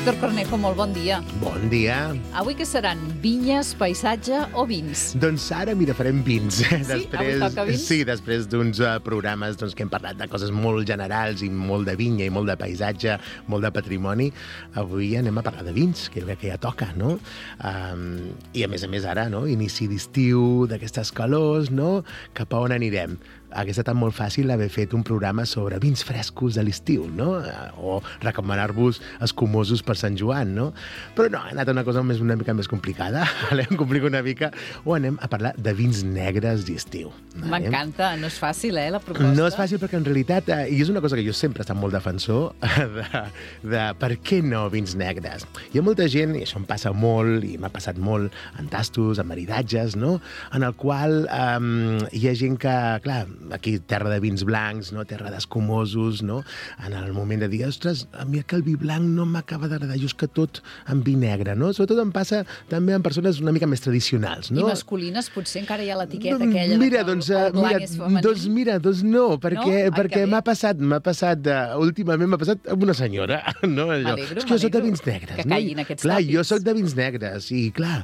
Víctor Cornejo, molt bon dia. Bon dia. Avui què seran? Vinyes, paisatge o vins? Doncs ara, mira, farem vins. Sí? Avui toca vins? Sí, després d'uns programes que hem parlat de coses molt generals i molt de vinya i molt de paisatge, molt de patrimoni. Avui anem a parlar de vins, que jo crec que ja toca, no? I a més ara, no? Inici d'estiu, d'aquestes calors, no? Cap a on anirem? Hauria estat molt fàcil haver fet un programa sobre vins frescos de l'estiu, no? O recomanar-vos escumosos per Sant Joan, no? Però no, ha anat una cosa una mica més complicada. Em complico una mica. O anem a parlar de vins negres d'estiu. M'encanta, no és fàcil, la proposta. No és fàcil perquè en realitat, i és una cosa que jo sempre he estat molt defensor, de per què no vins negres. Hi ha molta gent, i això em passa molt, i m'ha passat molt en tastos, en maridatges, no? En el qual hi ha gent que, clar, aquí terra de vins blancs, no? Terra d'escumosos, no? En el moment de dir, ostres, a mi que el vi blanc no m'acaba d'agradar, jo és que tot en vi negre, no? Sobretot em passa també en persones una mica més tradicionals, no? I masculines potser encara hi ha l'etiqueta aquella mira, de que el blanc és femení. Doncs no, perquè m'ha passat, últimament m'ha passat amb una senyora, no? M'alegro, és que jo soc de vins negres, que caiguin aquests clar, tòpics. jo soc de vins negres, i clar,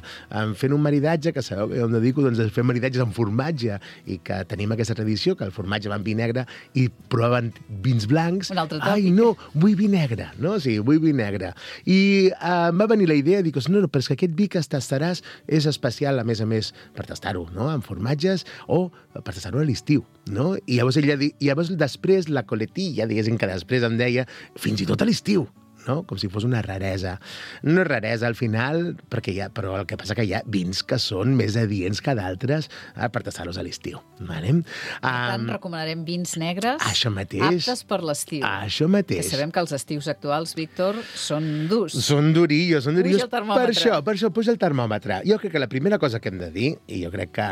fent un maridatge, que sabeu que jo em dedico doncs, a fer maridatges amb formatge, i que tenim aquesta tradició, que el formatge va en vi negre, i provaven vins blancs. Un altre tòpic. Ai, no, vull vi negre, no? Sí, vull vi negre. I em va venir la idea, dic, no, però és que aquest vi que tastaràs és especial, a més, per tastar-ho, no?, amb formatges, o per tastar-ho a l'estiu, no? I llavors després la coletilla, diguéssim que després em deia, fins i tot a l'estiu, no? Com si fos una raresa. No és raresa al final, però el que passa que hi ha vins que són més adients que d'altres per tastar-los a l'estiu. Vale? Per tant, recomanarem vins negres aptes per l'estiu. Això mateix. Que sabem que els estius actuals, Víctor, són durs. Són durillos. Puja el termòmetre. Per això puja el termòmetre. Jo crec que la primera cosa que hem de dir, i jo crec que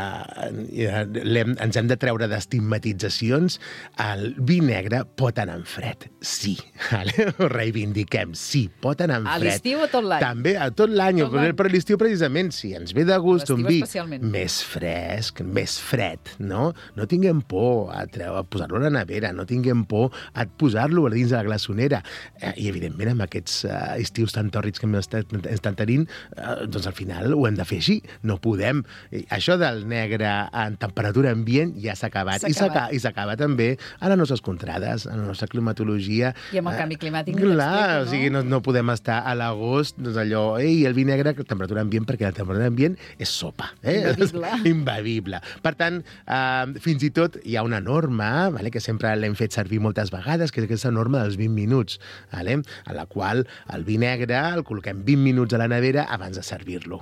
ens hem de treure d'estigmatitzacions, el vi negre pot anar en fred. Sí. Ho reivindiquem. Sí, pot anar en fred. A l'estiu o tot l'any? També, a tot l'any. Per l'estiu, precisament, si ens ve de gust un vi més fresc, més fred, no? No tinguem por a posar-lo a la nevera, no tinguem por a posar-lo a dins de la glaçonera. I, evidentment, amb aquests estius tan tòrrids que estan tenint, doncs al final ho hem de fer així. No podem. Això del negre en temperatura ambient ja s'ha acabat. I s'acaba també a les nostres contrades, a la nostra climatologia. I amb el canvi climàtic o sigui, no podem estar a l'agost, doncs allò, el vi negre, temperatura ambient, perquè la temperatura ambient és sopa. Imbevible. Per tant, fins i tot hi ha una norma, que sempre l'hem fet servir moltes vegades, que és aquesta norma dels 20 minuts, en la qual el vi negre el col·loquem 20 minuts a la nevera abans de servir-lo.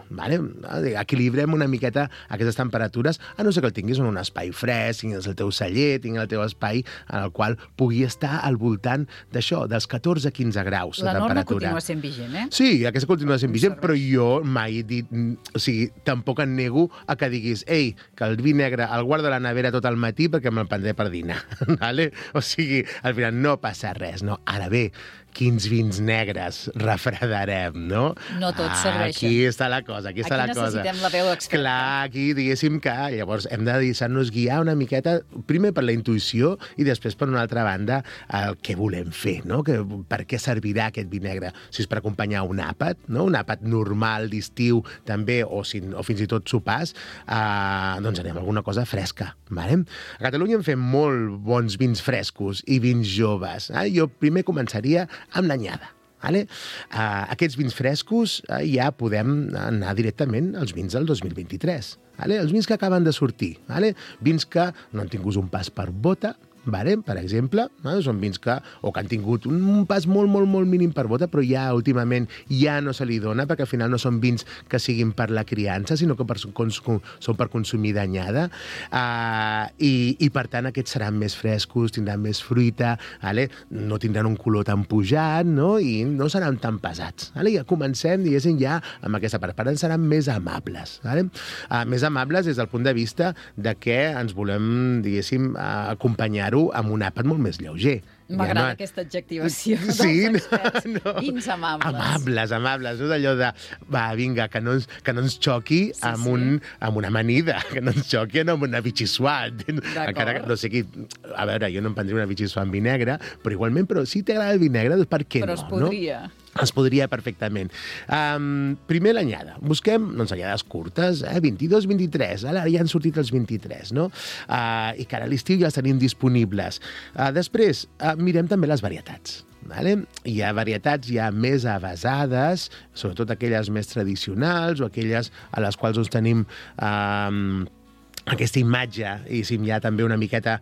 Equilibrem una miqueta aquestes temperatures, a no ser que el tinguis en un espai fresc, tinguis el teu celler, tinguis el teu espai en el qual pugui estar al voltant d'això, dels 14-15 graus de temperatura. La norma continua sent vigent, Sí, aquesta continua sent vigent, però jo mai he dit... O sigui, tampoc em nego a que diguis que el vi negre el guardo a la nevera tot el matí perquè me'l prendré per dinar. O sigui, al final no passa res, no? Ara bé, quins vins negres refredarem, no? No tots serveixen. Aquí està la cosa, aquí necessitem la veu experta. Clar, aquí diguéssim que llavors hem de deixar-nos guiar una miqueta, primer per la intuïció i després per una altra banda el que volem fer, no? Per què servirà aquest vi negre? Si és per acompanyar un àpat, no? Un àpat normal d'estiu també, o fins i tot sopars, doncs anem a alguna cosa fresca. Vale? A Catalunya en fem molt bons vins frescos i vins joves. Jo primer començaria amb l'anyada. Aquests vins frescos ja podem anar directament als vins del 2023. Els vins que acaben de sortir. Vins que no han tingut un pas per bota, per exemple, són vins que han tingut un pas molt, molt, molt mínim per bota, però ja últimament ja no se li dona, perquè al final no són vins que siguin per la criança, sinó que són per consumir d'anyada, i per tant aquests seran més frescos, tindran més fruita, no tindran un color tan pujat, i no seran tan pesats. Ja comencem, diguéssim, ja amb aquesta part. Per tant, seran més amables. Més amables des del punt de vista de que ens volem, diguéssim, acompanyar amb un àpat molt més lleuger. M'agrada aquesta adjectivació dels experts. Vins amables. Amables. No d'allò de, vinga, que no ens xoqui amb una amanida, que no ens xoqui amb una vichysoise. Encara que no sé qui... A veure, jo no em prendré una vichysoise amb vi negre, però igualment, si t'agrada el vi negre, doncs per què no? Però es podria. Es podria perfectament. Primer l'anyada. Busquem anyades curtes, 22-23. Ara ja han sortit els 23, no? I que ara a l'estiu ja els tenim disponibles. Després, mirem també les varietats. Vale? Hi ha varietats ja més avasades, sobretot aquelles més tradicionals o aquelles a les quals tenim aquesta imatge, i si hi ha també una miqueta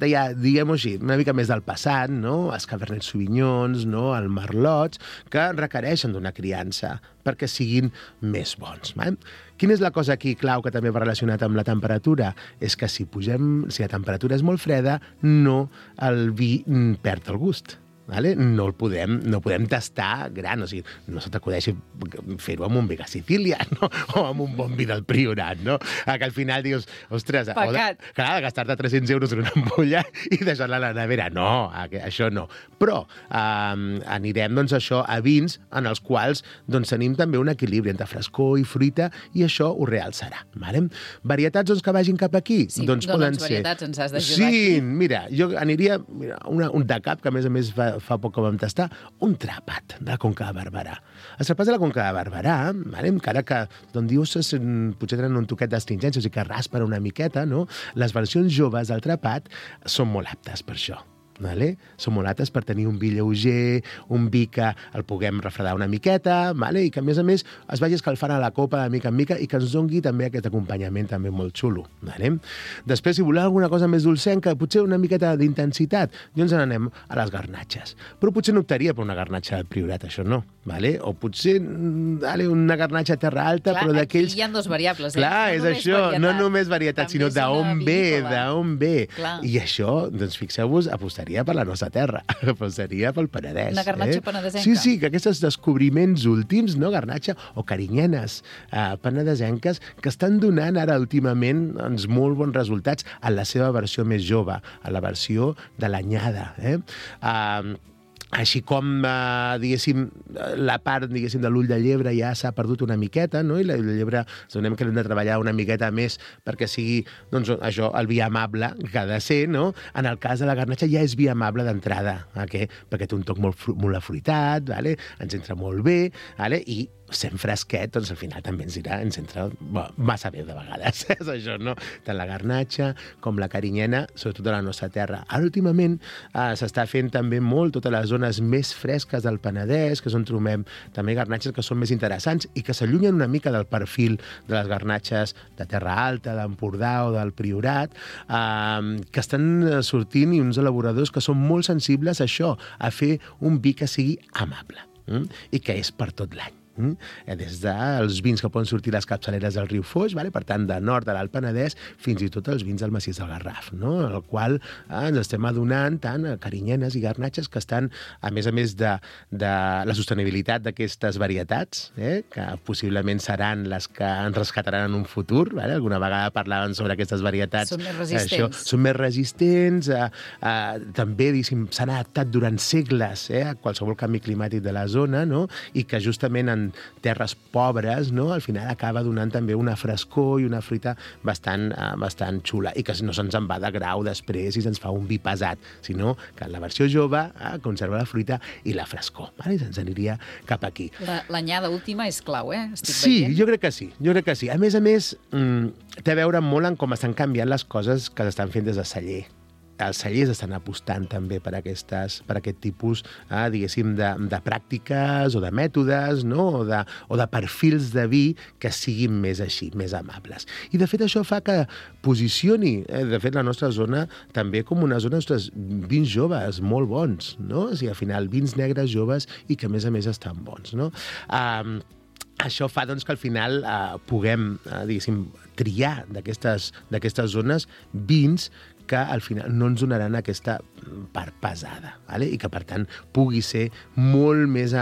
ja, diguem-ho així, una mica més del passat, no? Els Cabernet Sauvignons, no? Els Merlots, que requereixen d'una criança perquè siguin més bons. Vale? Quina és la cosa aquí clau que també va relacionat amb la temperatura? És que si la temperatura és molt freda, el vi perd el gust. Vale? No podem tastar gran, o sigui, no se t'acudeixi fer-ho amb un vi de Sicília, no? O amb un bon vi del Priorat, no? Que al final dius, ostres, de gastar-te 300 euros en una ampolla i deixar-la a la nevera. No, això no. Però anirem, doncs, a vins en els quals tenim també un equilibri entre frescor i fruita, i això ho realçarà. Vale? Varietats que vagin cap aquí? Sí, poden ser. Varietats ens has d'ajudar aquí. Sí, mira, jo aniria un de cap, que a més fa poc que vam tastar, un trapat de la Conca de Barberà. Els trapats de la Conca de Barberà, encara que d'on dius potser tenen un toquet d'astringència, o sigui que raspen una miqueta, no? Les versions joves del trapat són molt aptes per això. Vale? Són molt aptes per tenir un vi lleuger, un vi que el puguem refredar una miqueta, vale? I que a més es vagi escalfant a la copa de mica en mica i que ens doni també aquest acompanyament també molt xulo. Vale? Després, si voleu alguna cosa més dolcenca, potser una miqueta d'intensitat, doncs anem a les garnatxes. Però potser no optaria per una garnatxa del Priorat, això no. Vale? O potser una garnatxa Terra Alta, però d'aquells... Aquí hi ha dos variables. Clar, és això, no només varietat, sinó d'on ve. I això, doncs fixeu-vos, apostaria per la nostra terra, seria pel Penedès. Una garnatxa penedesenca. Sí, que aquests descobriments últims, no, garnatxa o carinyenes penedesenques, que estan donant ara últimament molt bons resultats en la seva versió més jove, a la versió de l'anyada. Així com, diguéssim, la part, diguéssim, de l'ull de llebre ja s'ha perdut una miqueta, no? I l'ull de llebre donem que l'hem de treballar una miqueta més perquè sigui, doncs, això, el vi amable que ha de ser, no? En el cas de la garnatxa ja és vi amable d'entrada, perquè té un toc molt afruitat, vale? Ens entra molt bé, vale? I sent fresquet, doncs al final també ens entra massa bé de vegades. És això, no? Tant la garnatxa com la carinyena, sobretot a la nostra terra. Ara, últimament, s'està fent també molt totes les zones més fresques del Penedès, que és on trobem també garnatxes que són més interessants i que s'allunyen una mica del perfil de les garnatxes de Terra Alta, d'Empordà o del Priorat, que estan sortint i uns elaboradors que són molt sensibles a això, a fer un vi que sigui amable i que és per tot l'any. Des dels vins que poden sortir les capçaleres del riu Foix, per tant, de nord de l'Alt Penedès, fins i tot els vins del massís del Garraf, en el qual ens estem adonant tant a carinyenes i garnatxes que estan, a més de la sostenibilitat d'aquestes varietats, que possiblement seran les que ens rescataran en un futur. Alguna vegada parlaven sobre aquestes varietats. Són més resistents. Són més resistents. També, s'han adaptat durant segles a qualsevol canvi climàtic de la zona, i que justament en terres pobres, al final acaba donant també una frescor i una fruita bastant xula, i que no se'ns en va de grau després i se'ns fa un vi pesat, sinó que en la versió jove conserva la fruita i la frescor, i se'ns aniria cap aquí. L'anyada última és clau, Sí, jo crec que sí. A més, té a veure molt en com estan canviant les coses que s'estan fent des de celler. Els cellers estan apostant també per aquest tipus, diguéssim, de pràctiques o de mètodes, o de perfils de vi que siguin més així, més amables. I, de fet, això fa que posicioni, de fet, la nostra zona també com una zona d'ostres, vins joves molt bons, no? O sigui, al final, vins negres joves i que, a més, estan bons, no? Això fa, doncs, que al final puguem, diguéssim, triar d'aquestes zones vins que al final no ens donaran aquesta part pesada, i que, per tant, pugui ser molt més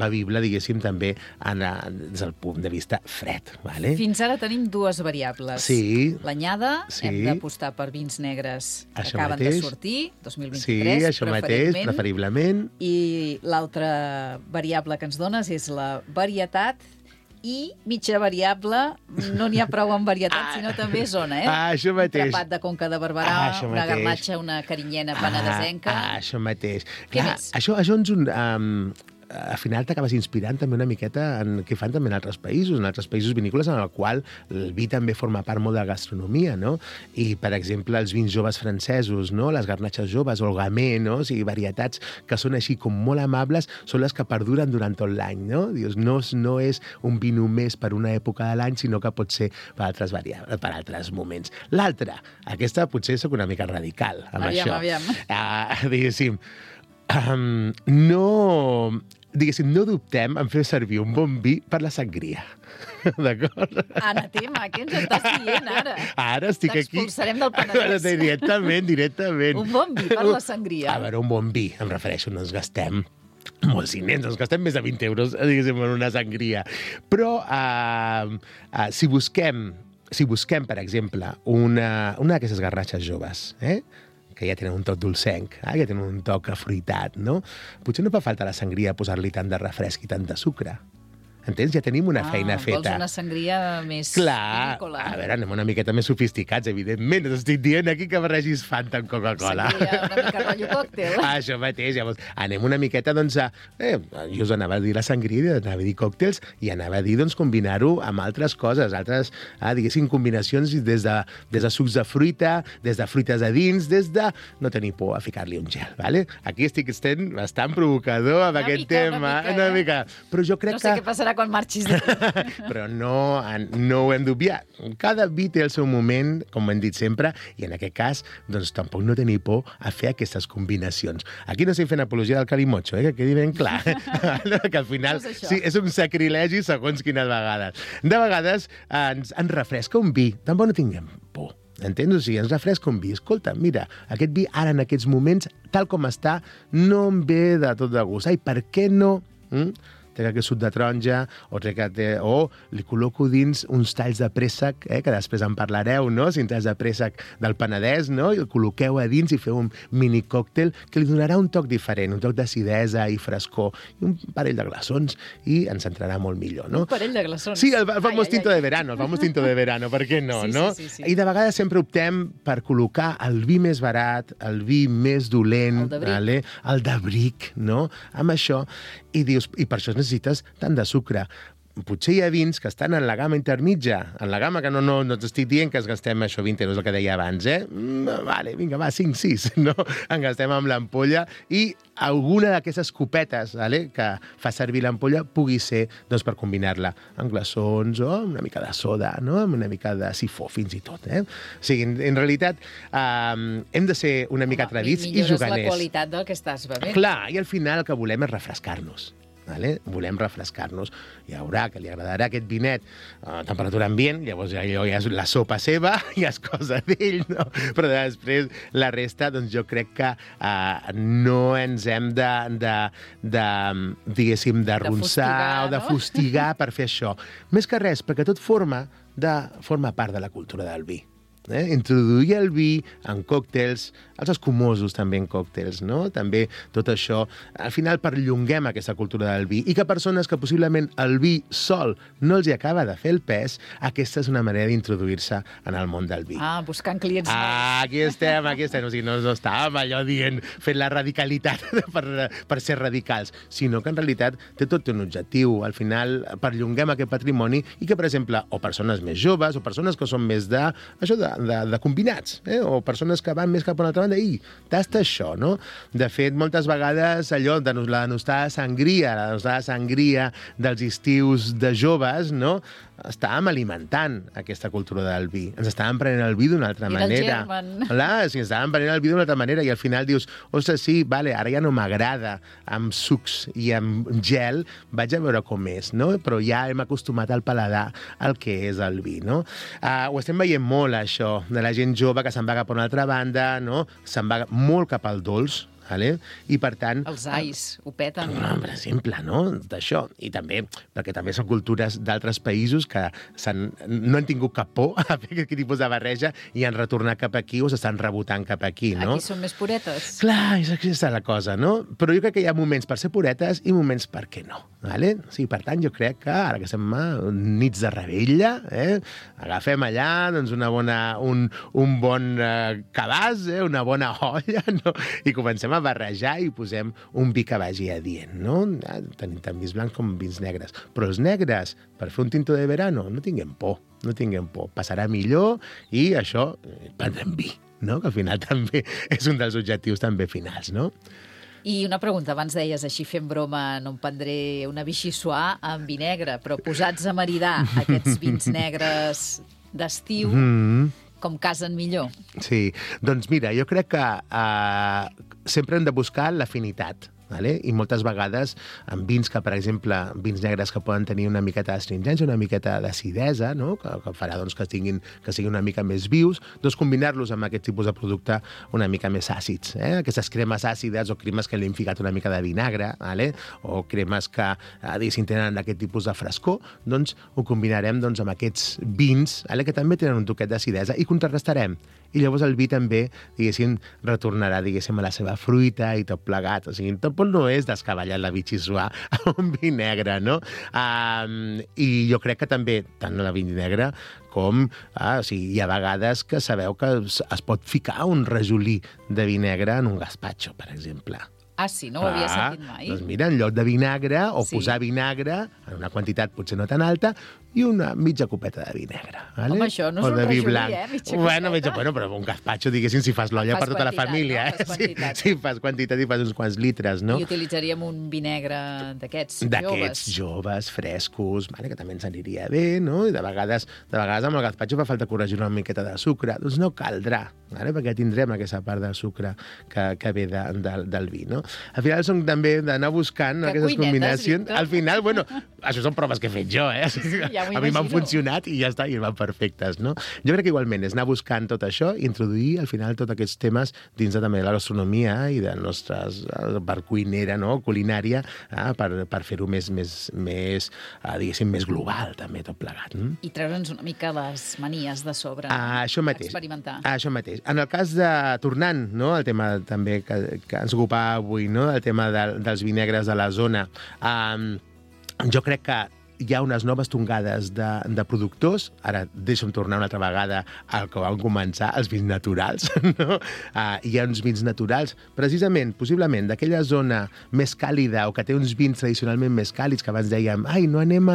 bevible, diguéssim, també des del punt de vista fred. Fins ara tenim dues variables. Sí. L'anyada, hem d'apostar per vins negres que acaben de sortir, 2023, sí, això mateix, preferiblement. I l'altra variable que ens dones és la varietat i mitja variable, no n'hi ha prou en varietat, sinó també zona, Això mateix. Un trepat de Conca de Barberà, una garnatxa, una carinyena penedesenca... Això mateix. Què més? Això ens al final t'acabes inspirant també una miqueta en què fan també en altres països vinícoles en el qual el vi també forma part molt de la gastronomia, no? I, per exemple, els vins joves francesos, no? Les garnatxes joves, o el gamay, no? O sigui, varietats que són així com molt amables, són les que perduren durant tot l'any, no? Dius, no és un vi només per una època de l'any, sinó que pot ser per altres moments. L'altra, aquesta potser sóc una mica radical amb això. Aviam. Diguéssim, no dubtem en fer servir un bon vi per la sangria. D'acord? Anatema, què ens estàs dient ara? Ara estic aquí... T'expulsarem del Penedès. Directament. Un bon vi per la sangria. A veure, un bon vi, em refereixo, no ens gastem molts diners, ens gastem més de 20 euros, diguéssim, en una sangria. Però si busquem, per exemple, una d'aquestes garnatxes joves, que ja tenen un toc dolcenc, ja tenen un toc afruitat, no? Potser no fa falta a la sangria posar-li tant de refresc i tant de sucre. Entens? Ja tenim una feina feta. Vols una sangria més vinícola. A veure, anem una miqueta més sofisticats, evidentment. T'estic dient aquí que barregis Fanta amb Coca-Cola. Sangria una mica rotllo còctel. Això mateix. Llavors, anem una miqueta, doncs, jo us anava a dir la sangria, anava a dir còctels, i anava a dir, doncs, combinar-ho amb altres coses, diguéssim, combinacions des de sucs de fruita, des de fruites a dins, des de no tenir por a ficar-li un gel, ¿vale? Aquí estic sent bastant provocador amb aquest tema. Una mica. Però jo crec que... No sé què passarà quan marxis d'aquí. Però no ho hem d'obviar. Cada vi té el seu moment, com hem dit sempre, i en aquest cas, doncs tampoc no tenir por a fer aquestes combinacions. Aquí no estic fent apologia del calimocho, que quedi ben clar. Que al final sí, és un sacrilegi segons quines vegades. De vegades ens refresca un vi, tampoc no tinguem por. Entens? O sigui, ens refresca un vi. Escolta, mira, aquest vi ara en aquests moments, tal com està, no em ve de tot de gust. Ai, per què no? Trec aquest suc de taronja, o li col·loco dins uns talls de préssec, que després en parlareu, no? 5 talls de préssec del Penedès, no? I el col·loqueu a dins i feu un mini còctel que li donarà un toc diferent, un toc d'acidesa i frescor, i un parell de glaçons, i ens entrarà molt millor, no? Un parell de glaçons? Sí, el famós tinto de verano, per què no, no? Sí. I de vegades sempre optem per col·locar el vi més barat, el vi més dolent, el de bric, no? Amb això, i dius, i per això necessites tant de sucre. Potser hi ha vins que estan en la gamma intermitja, en la gamma que no t'estic dient que ens gastem això 20 euros, el que deia abans, Vale, vinga, va, 5, 6, no? En gastem amb l'ampolla i alguna d'aquestes copetes que fa servir l'ampolla pugui ser doncs, per combinar-la amb glaçons o amb una mica de soda, no? Amb una mica de sifó, fins i tot. O sigui, en realitat, hem de ser una mica tradits i juganers. Millores la qualitat del que estàs bevent. Clar, i al final el que volem és refrescar-nos. Volem refrescar-nos. Hi haurà que li agradarà aquest vinet a temperatura ambient, llavors ja és la sopa seva, ja és cosa d'ell, no? Però després la resta, doncs jo crec que no ens hem diguéssim, d'arronsar o de fustigar per fer això. Més que res, perquè tot forma part de la cultura del vi. Introduir el vi en còctels, els escumosos també en còctels, no? També tot això, al final perllonguem aquesta cultura del vi i que persones que possiblement el vi sol no els hi acaba de fer el pes, aquesta és una manera d'introduir-se en el món del vi. Buscant clients. Aquí estem. O sigui, no estàvem allò dient, fent la radicalitat per ser radicals, sinó que en realitat tot té un objectiu. Al final perllonguem aquest patrimoni i que, per exemple, o persones més joves o persones que són més de combinats, o persones que van més cap a una altra banda, tasta això, no? De fet, moltes vegades allò de la denostada sangria dels estius de joves, no? Estàvem alimentant aquesta cultura del vi. Ens estàvem prenent el vi d'una altra manera. Clar, sí, estàvem prenent el vi d'una altra manera i al final dius, ostres, sí, vale, ara ja no m'agrada amb sucs i amb gel, vaig a veure com és, no? Però ja hem acostumat al paladar al que és el vi, no? Ho estem veient molt, això, de la gent jove que se'n va cap a una altra banda, no? Se'n va molt cap al dolç, vale? I per tant... Els ais ho peten. Per exemple, no? D'això. I també, perquè també són cultures d'altres països que no han tingut cap por a fer aquest tipus de barreja i han retornat cap aquí o s'estan rebotant cap aquí, no? Aquí són més puretes. Clar, és aquesta la cosa, no? Però jo crec que hi ha moments per ser puretes i moments per què no, vale? Sí, per tant, jo crec que ara que estem a nits de rebella, agafem allà doncs, un bon cabàs, una bona olla, no? I comencem a barrejar i posem un vi que vagi adient, no? Tenim tant vins blancs com vins negres. Però els negres, per fer un tinto de verano, no tinguem por. Passarà millor i això, prendrem vi, no? Que al final també és un dels objectius també finals, no? I una pregunta, abans deies, així fent broma, no em prendré una Vichyssoise amb vi negre, però posats a maridar aquests vins negres d'estiu, com casen millor? Sí, doncs mira, jo crec que sempre hem de buscar l'afinitat, vale? I moltes vegades amb vins que, per exemple, vins negres que poden tenir una miqueta d'astringència, una miqueta d'acidesa, no? que farà doncs, que siguin una mica més vius, doncs combinar-los amb aquest tipus de producte una mica més àcids. Aquestes cremes àcides o cremes que li hem ficat una mica de vinagre, vale? O cremes que tenen aquest tipus de frescor, doncs ho combinarem doncs, amb aquests vins, vale? Que també tenen un toquet d'acidesa i contrarrestarem. I llavors el vi també, diguéssim, retornarà, diguéssim, a la seva fruita i tot plegat. O sigui, tot no és descabellat la Vichyssoise amb un vi negre, no? I jo crec que també, tant la vi negra com... hi ha vegades que sabeu que es pot ficar un rajolí de vi negre en un gazpacho, per exemple. Ah, sí? No ho havia sentit mai. Doncs mira, en lloc de vinagre, o posar vinagre, en una quantitat potser no tan alta, i una mitja copeta de vi negre. Vale? Home, això no és un rajolí, mitja copeta. Bueno, però un gazpacho, diguéssim, si fas l'olla per tota la família. No? Fas quantitat. Sí, fas quantitat i fas uns quants litres, no? I utilitzaríem un vi negre d'aquests joves. D'aquests joves, frescos, vale, que també ens aniria bé, no? I de vegades amb el gazpacho fa falta corregir una miqueta de sucre. Doncs no caldrà, vale? Perquè tindrem aquesta part de sucre que ve del vi, no? Al final són també d'anar buscant aquestes combinacions. Víctor. Al final, bueno, això són proves que he fet jo, Sí, ja a mi m'han funcionat i ja està, i van perfectes, no? Jo crec que igualment és anar buscant tot això i introduir al final tots aquests temes dins de també la gastronomia i de nostres part cuinera, no? Culinària, per fer-ho més, diguéssim, més global, també, tot plegat. I treure'ns una mica les manies de sobre. Això mateix. Experimentar. Això mateix. En el cas de, tornant, no?, el tema també que ens ocupava avui, no?, el tema dels vinegres de la zona, jo crec que hi ha unes noves tongades de productors. Ara deixa'm tornar una altra vegada al que vam començar, els vins naturals, no? Hi ha uns vins naturals, precisament, possiblement, d'aquella zona més càlida o que té uns vins tradicionalment més càlids, que abans dèiem, no anem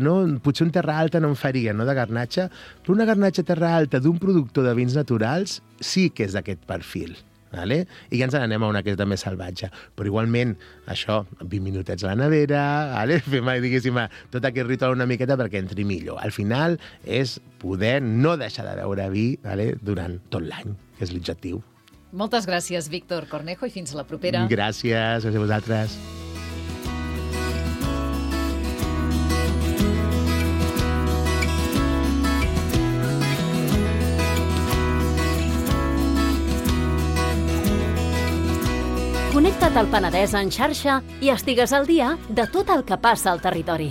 no, potser un Terra Alta no en faria, no?, de Garnatxa, però una Garnatxa Terra Alta d'un productor de vins naturals sí que és d'aquest perfil. Vale? I ja ens n'anem a una que és de més salvatge. Però igualment, això, 20 minutets a la nevera, vale? Fem, diguéssim, tot aquest ritual una miqueta perquè entri millor. Al final és poder no deixar de beure vi, vale? Durant tot l'any, que és l'objectiu. Moltes gràcies, Víctor Cornejo, i fins a la propera. Gràcies a vosaltres. Connecta't al Penedès en xarxa i estigues al dia de tot el que passa al territori.